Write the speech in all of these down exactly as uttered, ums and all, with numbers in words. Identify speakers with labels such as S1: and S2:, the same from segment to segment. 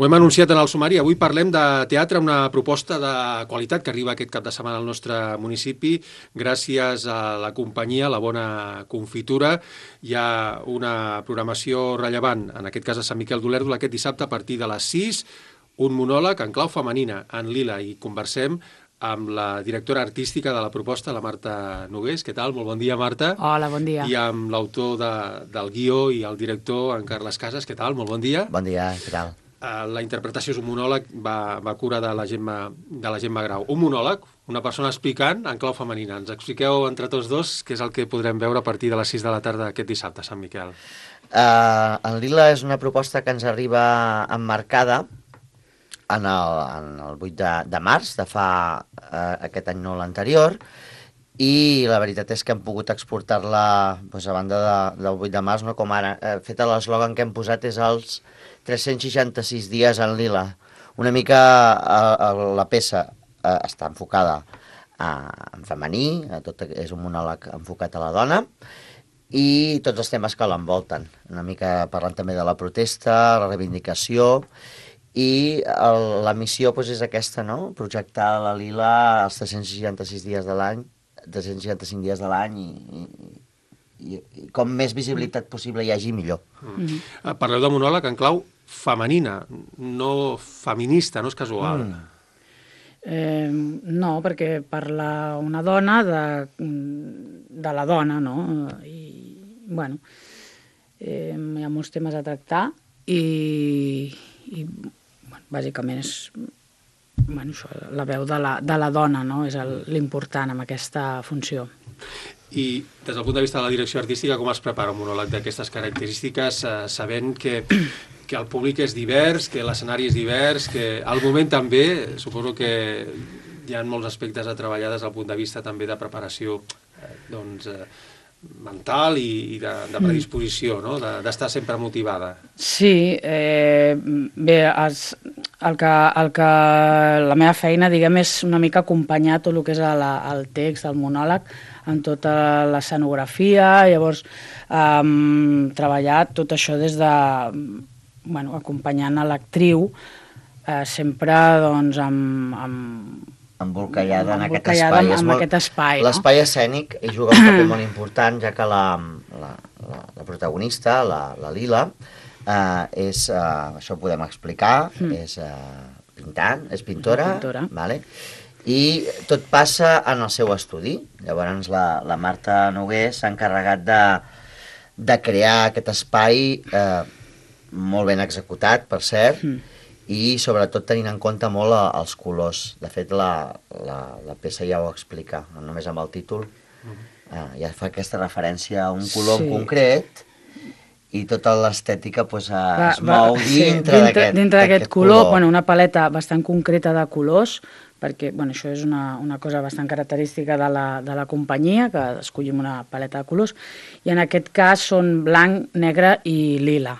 S1: Ho hem anunciat en el sumari. Avui parlem de teatre, una proposta de qualitat que arriba aquest cap de setmana al nostre municipi. Gràcies a la companyia, la Bona Confitura. Hi ha una programació rellevant, en aquest cas a Sant Miquel d'Olèrdol, aquest dissabte a partir de les sis, un monòleg en clau femenina, en lila, i conversem amb la directora artística de la proposta, la Marta Nogués. Què tal? Molt bon dia, Marta.
S2: Hola, bon dia.
S1: I amb l'autor de, del guió i el director, en Carles Casas. Què tal? Molt bon dia.
S3: Bon dia, què tal?
S1: La interpretació és un monòleg, va, va cura de la Gemma, de la Gemma Grau. Un monòleg, una persona explicant en clau femenina. Ens expliqueu entre tots dos què és el que podrem veure a partir de les sis de la tarda aquest dissabte a Sant Miquel.
S3: Uh, en Lila és una proposta que ens arriba emmarcada en el, en el vuit de, de març, de fa uh, aquest any no l'anterior, i la veritat és que hem pogut exportar-la doncs, a banda de, del vuit de març, no com ara. Uh, fet l'eslògan que hem posat és els tres-cents seixanta-sis dies en lila. Una mica uh, uh, la peça uh, està enfocada uh, en femení, uh, tot és un monòleg enfocat a la dona, i tots els temes que l'envolten. Una mica parlant també de la protesta, la reivindicació, i el, la missió doncs, és aquesta, no? Projectar la lila els tres-cents seixanta-sis dies de l'any, tres-cents seixanta-cinc dies de l'any, i, i, i com més visibilitat possible hi hagi, millor.
S1: Mm. Mm. Parleu de monòleg en clau femenina, no feminista, no és casual.
S2: Mm. Eh, no, perquè parla una dona de, de la dona, no? I, bueno, eh, hi ha molts temes a tractar i, i bueno, bàsicament és bueno, això, la veu de la, de la dona, no? És l'important en aquesta funció.
S1: I des del punt de vista de la direcció artística, com es prepara un monòleg d'aquestes característiques, eh, sabent que, que el públic és divers, que l'escenari és divers, que al moment també, suposo que hi ha molts aspectes a treballar des del punt de vista també de preparació eh, doncs, eh, mental i, i de, de predisposició, no? D'estar de, sempre motivada.
S2: Sí, eh, bé, es, el que, el que la meva feina, diguem, és una mica acompanyar tot el que és el, el text, el monòleg, en tota l'escenografia, llavors eh, treballar tot això des de, bueno, acompanyant a l'actriu, eh, sempre doncs amb, amb
S3: embolcallada en aquest
S2: espai.
S3: En,
S2: en aquest espai, no?
S3: L'espai escènic hi juga un paper molt important, ja que la, la, la, la protagonista, la, la Lila, eh, és, eh, això ho podem explicar, mm. és eh, pintant, és pintora,
S2: pintora.
S3: Vale? I tot passa en el seu estudi. Llavors la, la Marta Nogués s'ha encarregat de, de crear aquest espai eh, molt ben executat, per cert, mm. i sobretot tenint en compte molt els colors. De fet, la, la, la peça ja ho explica, no només amb el títol, eh, ja fa aquesta referència a un color sí. en concret, i tota l'estètica pues, eh, es mou
S2: sí,
S3: dintre d'aquest
S2: dintre d'aquest color. color. Bueno, una paleta bastant concreta de colors, perquè bueno, això és una, una cosa bastant característica de la, de la companyia, que escollim una paleta de colors, i en aquest cas són blanc, negre i lila,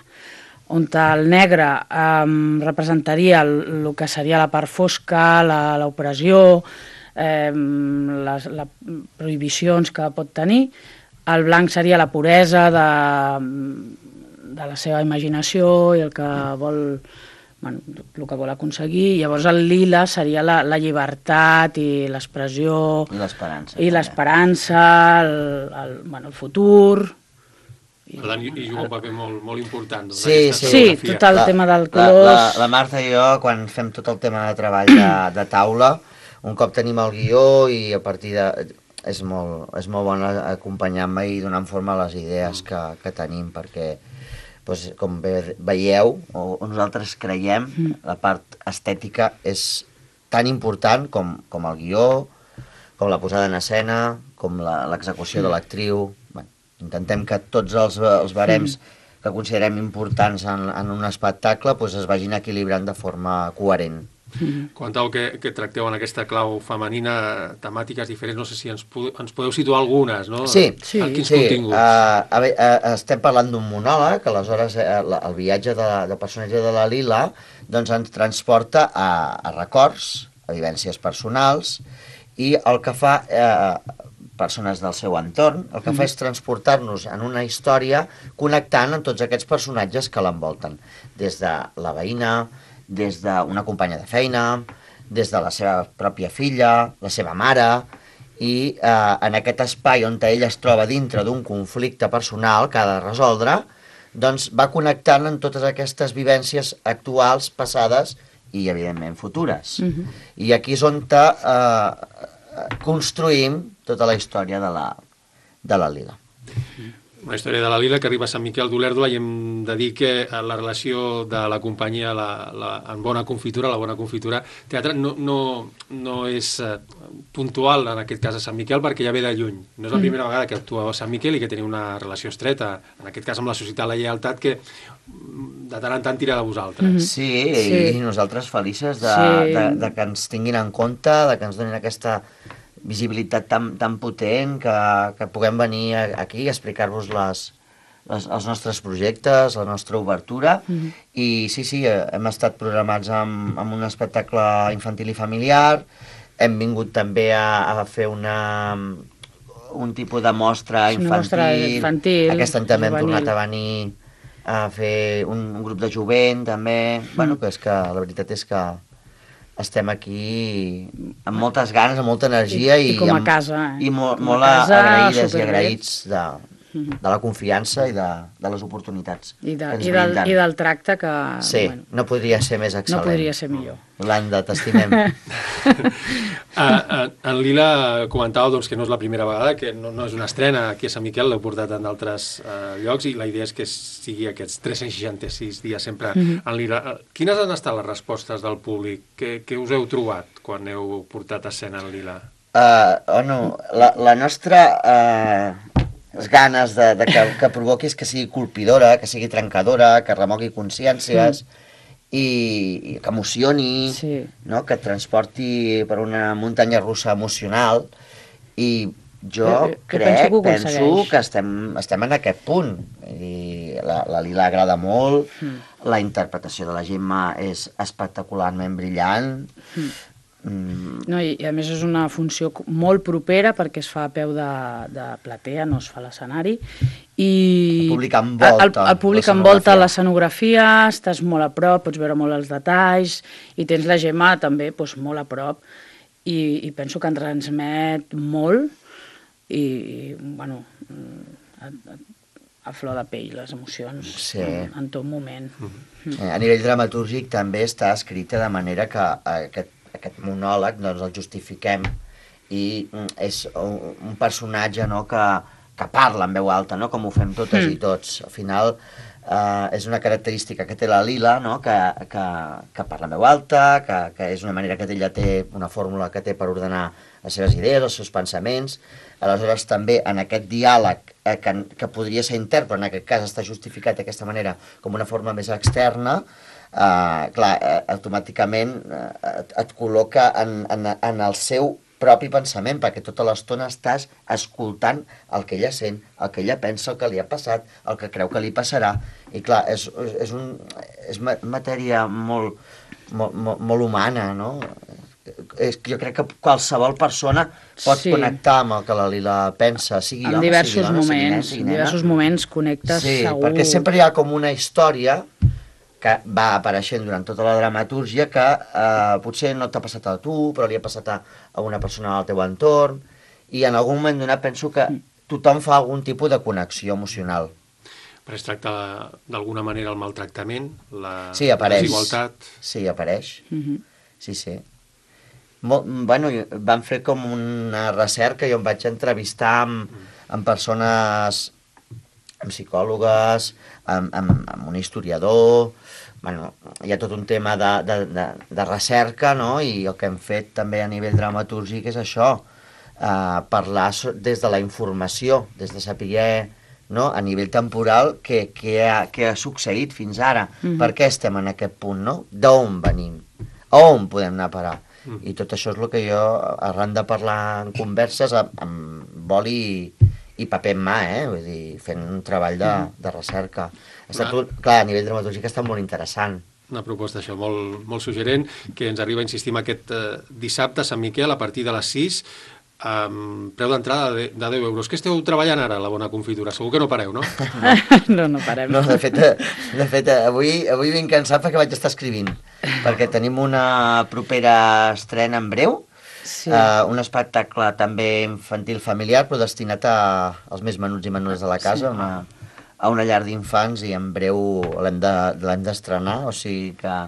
S2: on el negre eh, representaria el, el que seria la part fosca, l'opressió, eh, les, les prohibicions que pot tenir. El blanc seria la puresa de, de la seva imaginació i el que vol, bueno, el que vol aconseguir. Llavors el lila seria la, la llibertat i l'expressió
S3: i l'esperança,
S2: i l'esperança, el, el, bueno, el futur.
S1: Per tant, hi juga un paper molt, molt important. Doncs,
S3: sí, sí,
S2: sí, tot el
S3: la,
S2: tema del colors...
S3: La, la, la Marta i jo, quan fem tot el tema de treball de, de taula, un cop tenim el guió i a partir de... És molt, és molt bon acompanyar-me i donant forma a les idees que, que tenim, perquè, doncs, com ve, veieu, o, o nosaltres creiem, mm. la part estètica és tan important com, com el guió, com la posada en escena, com l'execució mm. de l'actriu. Bueno, intentem que tots els, els barems mm. que considerem importants en, en un espectacle doncs, es vagin equilibrant de forma coherent.
S1: Mm-hmm. Comentau que, que tracteu en aquesta clau femenina temàtiques diferents, no sé si ens, ens podeu situar algunes, no?
S3: Sí,
S1: sí. Quins
S3: sí.
S1: continguts?
S3: Uh, a veure, uh, estem parlant d'un monòleg, aleshores uh, el viatge de, la, de personatge de la Lila doncs ens transporta a, a records, a vivències personals, i el que fa eh, persones del seu entorn, el que fa és transportar-nos en una història connectant amb tots aquests personatges que l'envolten, des de la veïna, des d'una companya de feina, des de la seva pròpia filla, la seva mare, i eh, en aquest espai on ella es troba dintre d'un conflicte personal que ha de resoldre, doncs va connectant amb totes aquestes vivències actuals, passades i, evidentment, futures. Mm-hmm. I aquí és on eh, construïm tota la història de la, de la Lila.
S1: Una història de la Lila que arriba a Sant Miquel d'Olèrdola i hem de dir que la relació de la companyia la, la, en Bona Confitura, la Bona Confitura Teatre, no, no, no és eh, puntual en aquest cas a Sant Miquel perquè ja ve de lluny. No és la primera vegada que actua a Sant Miquel i que teniu una relació estreta, en aquest cas amb la Societat La Lleialtat, que de tant en tant tira de vosaltres.
S3: Mm-hmm. Sí, sí, i nosaltres felices de, sí. de, de que ens tinguin en compte, de que ens donin aquesta visibilitat tan, tan potent que, que puguem venir aquí a explicar-vos les, les, els nostres projectes, la nostra obertura. Mm-hmm. I sí, sí, hem estat programats amb, amb un espectacle infantil i familiar, hem vingut també a, a fer una, un tipus de mostra infantil,
S2: infantil
S3: aquest any també juvenil. Hem tornat a venir a fer un, un grup de jovent també, mm. bueno, que és que la veritat és que estem aquí amb moltes ganes, amb molta energia
S2: i, i, i com a casa,
S3: eh? I molt, molt casa, agraïdes i agraïts de, de la confiança i de, de les oportunitats
S2: I, de, i, del, i del tracte que...
S3: Sí, bueno, no podria ser més excel·lent.
S2: No podria ser millor.
S3: Yolanda, t'estimem.
S1: uh, en Lila comentava doncs, que no és la primera vegada, que no, no és una estrena aquí a Sant Miquel, l'heu portat en d'altres uh, llocs i la idea és que sigui aquests tres-cents seixanta-sis dies sempre mm-hmm. en Lila. Uh, quines han estat les respostes del públic? Què, què us heu trobat quan heu portat escena en Lila?
S3: Uh, bueno, la, la nostra... Uh... les ganes de, de que, que provoquis que sigui colpidora, que sigui trencadora, que remogui consciències mm. i, i que emocioni, sí. no? Que et transporti per una muntanya russa emocional i jo eh, crec, penso que, penso que estem, estem en aquest punt. I la, la Lila agrada molt, mm. la interpretació de la Gemma és espectacularment brillant, mm.
S2: Mm. No, i, i a més és una funció molt propera perquè es fa a peu de, de platea, no es fa a l'escenari i
S3: el públic envolta,
S2: el, el públic envolta l'escenografia, estàs molt a prop, pots veure molt els detalls i tens la Gemma també doncs, molt a prop i, i penso que en transmet molt i, i bueno a, a, a flor de pell les emocions
S3: sí.
S2: en, en tot moment.
S3: Mm-hmm. Mm. A nivell dramatúrgic també està escrita de manera que aquest aquest monòleg doncs, el justifiquem i és un, un personatge no, que, que parla en veu alta, no, com ho fem totes mm. i tots. Al final eh, és una característica que té la Lila, no, que, que, que parla en veu alta, que, que és una manera que ella té, una fórmula que té per ordenar les seves idees, els seus pensaments. Aleshores també en aquest diàleg eh, que, que podria ser intern, però en aquest cas està justificat d'aquesta manera com una forma més externa, Uh, clar, uh, automàticament uh, et, et col·loca en, en, en el seu propi pensament, perquè tota l'estona estàs escoltant el que ella sent, el que ella pensa, el que li ha passat, el que creu que li passarà, i clar, és, és, un, és matèria molt, molt, molt, molt humana, no? És, jo crec que qualsevol persona pot sí. connectar amb el que la Lila pensa, sigui
S2: en
S3: home,
S2: diversos
S3: sigui dona,
S2: moments,
S3: sigui nen, sigui
S2: en diversos moments connectes
S3: sí,
S2: segur.
S3: Perquè sempre hi ha com una història que va apareixent durant tota la dramatúrgia que eh, potser no t'ha passat a tu, però li ha passat a, a una persona al teu entorn, i en algun moment donat penso que tothom fa algun tipus de connexió emocional.
S1: Però es tracta d'alguna manera el maltractament, la
S3: sí, apareix.
S1: desigualtat...
S3: Sí, apareix.
S2: Mm-hmm.
S3: Sí, sí. Molt, bueno, van fer com una recerca, jo em vaig entrevistar amb, amb persones, amb psicòlogues, amb, amb, amb un historiador, bueno, hi ha tot un tema de, de, de, de recerca, no? I el que hem fet també a nivell dramatúrgic és això, eh, parlar des de la informació, des de saber, no? A nivell temporal què, què, ha, què ha succeït fins ara, mm-hmm. per què estem en aquest punt, no? D'on venim, a on podem anar a parar. Mm. I tot això és el que jo, arran de parlar en converses, amb, amb boli i, i paper en mà, eh? Vull dir, fent un treball de, de recerca. Ha estat, un, clar, a nivell dramatúrgic ha estat molt interessant.
S1: Una proposta, això, molt, molt suggerent, que ens arriba, insistim, aquest eh, dissabte a Sant Miquel, a partir de les sis. amb preu d'entrada de, de deu euros. Què esteu treballant ara, la Bona Confitura? Segur que no pareu, no?
S2: No, no parem.
S3: No, de fet, de fet avui, avui vinc cansat perquè vaig estar escrivint, perquè tenim una propera estrena en breu, sí. uh, un espectacle també infantil familiar, però destinat a, als més menuts i menudes de la casa, sí. una, a una llar d'infants, i en breu l'hem de, l'hem d'estrenar, o sigui que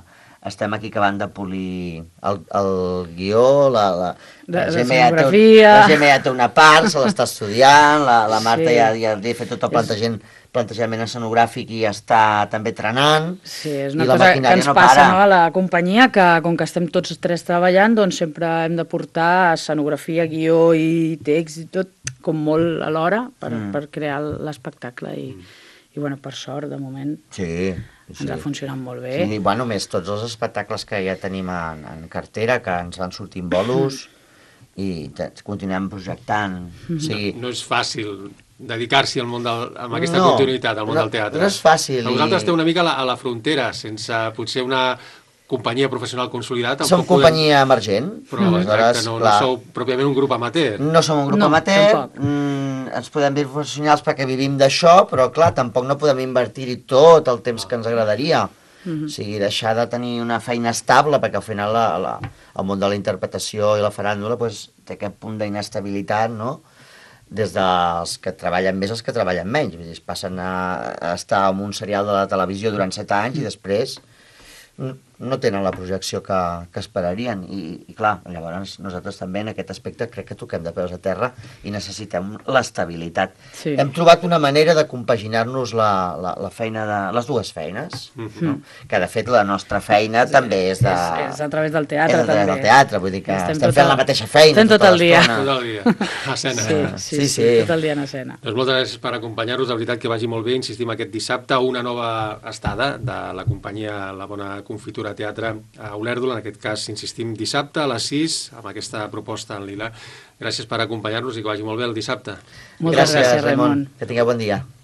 S3: estem aquí acabant de polir el, el guió, la, la, la,
S2: la
S3: Gemma ja té, la Gemma ja té una part, se l'està estudiant, la, la Marta sí. ja, ja li ha fet tot el plantejament, plantejament escenogràfic i ja està també trenant.
S2: Sí, és una cosa que ens no passa para. No, a la companyia, que com que estem tots tres treballant, doncs sempre hem de portar escenografia, guió i text i tot com molt alhora per, mm. per crear l'espectacle i, mm. i bueno, per sort, de moment...
S3: Sí.
S2: Sí. Ens ha funcionat molt bé.
S3: Sí, bueno, més tots els espectacles que ja tenim en, en cartera, que ens van sortint bolos i continuem projectant. O sigui...
S1: no, no és fàcil dedicar-s'hi al món del, amb aquesta no, continuïtat al món
S3: no,
S1: del teatre.
S3: No és fàcil.
S1: Però vosaltres i... esteu una mica a la, a la frontera, sense potser una companyia professional consolidada.
S3: Som companyia podem... emergent.
S1: Però mm. exacte, no, no sou pròpiament un grup amateur.
S3: No som un grup
S2: no,
S3: amateur, mm, ens podem dir professionals perquè vivim d'això, però clar, tampoc no podem invertir-hi tot el temps que ens agradaria. Mm-hmm. O sigui, deixar de tenir una feina estable, perquè al final la, la, el món de la interpretació i la faràndula pues, té aquest punt d'inestabilitat, no? Des dels que treballen més als que treballen menys. Vull dir, es passen a, a estar en un serial de la televisió durant set anys i després no tenen la projecció que, que esperarien i, i clar, llavors nosaltres també en aquest aspecte crec que toquem de peus a terra i necessitem l'estabilitat. Sí. Hem trobat una manera de compaginar-nos la, la, la feina de les dues feines, mm-hmm. no? Que de fet la nostra feina sí. també és de...
S2: És, és a través del teatre,
S3: és a través
S2: també.
S3: del teatre, vull dir que estem, estem fent
S2: el...
S3: la mateixa feina.
S2: Estem tot, tot el dia.
S1: Tot el dia, a escena.
S2: Sí, sí, sí, sí, tot el dia en escena.
S1: Doncs moltes gràcies per acompanyar-nos, la veritat que vagi molt bé, insistim aquest dissabte, una nova estada de la companyia La Bona Confitura Teatre a Olèrdola, en aquest cas, insistim, dissabte a les sis, amb aquesta proposta en lila. Gràcies per acompanyar-nos i que vagi molt bé el dissabte.
S2: Moltes gràcies, gràcies Raimon.
S3: Que tingueu bon dia.